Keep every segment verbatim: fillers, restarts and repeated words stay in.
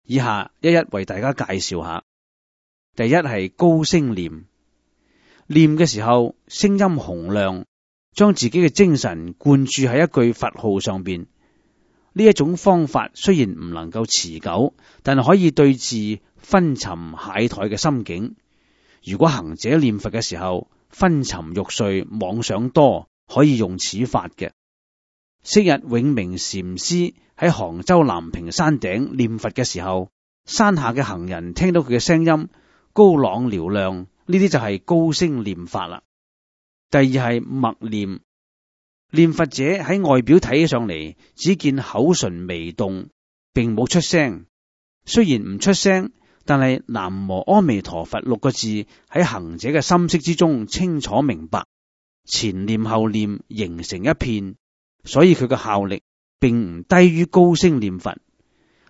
以下一一為大家介紹下。第一係高聲念，念嘅時候聲音洪亮，將自己嘅精神灌注喺一句佛號上邊。呢一種方法雖然唔能夠持久，但係可以對治昏沉懈怠嘅心境。如果行者念佛嘅時候昏沉欲睡、妄想多，可以用此法嘅。昔日永明禪師喺杭州南屏山頂念佛嘅時候，山下嘅行人聽到佢嘅聲音高朗嘹亮，呢啲就係高聲念法啦。第二係默念，念佛者喺外表睇起上嚟，只見口唇微動，並冇出聲。雖然唔出聲，但係南無阿彌陀佛六個字喺行者嘅心識之中清楚明白，前念後念形成一片，所以佢嘅效力並唔低於高聲念佛。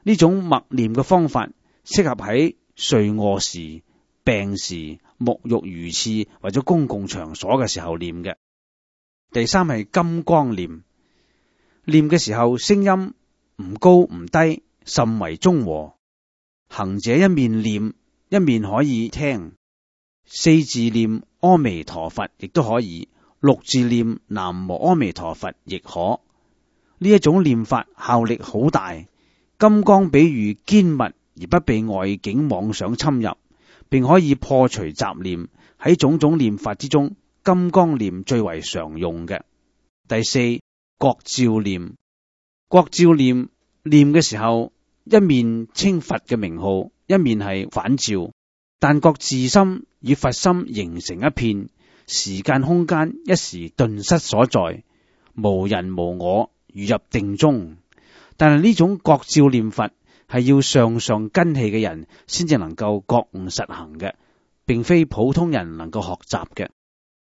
呢種默念嘅方法適合喺睡臥時、病時、沐浴如廁或者公共場所嘅時候念嘅。第三係金剛念，念嘅時候聲音唔高唔低，甚為中和。行者一面念一面可以聽，四字念阿彌陀佛亦都可以，六字念南無阿彌陀佛亦可。呢一種念法效力好大。金剛比喻堅密而不被外境妄想侵入，並可以破除雜念。喺種種念法之中，金剛念最為常用嘅。第四，覺照念，覺照念念嘅時候，一面稱佛嘅名號，一面係反照，但覺自心與佛心形成一片，時間空間一時頓失所在，無人無我，如入定中。但係呢種覺照念佛係要上上根器嘅人先至能夠覺悟實行嘅，並非普通人能夠學習嘅。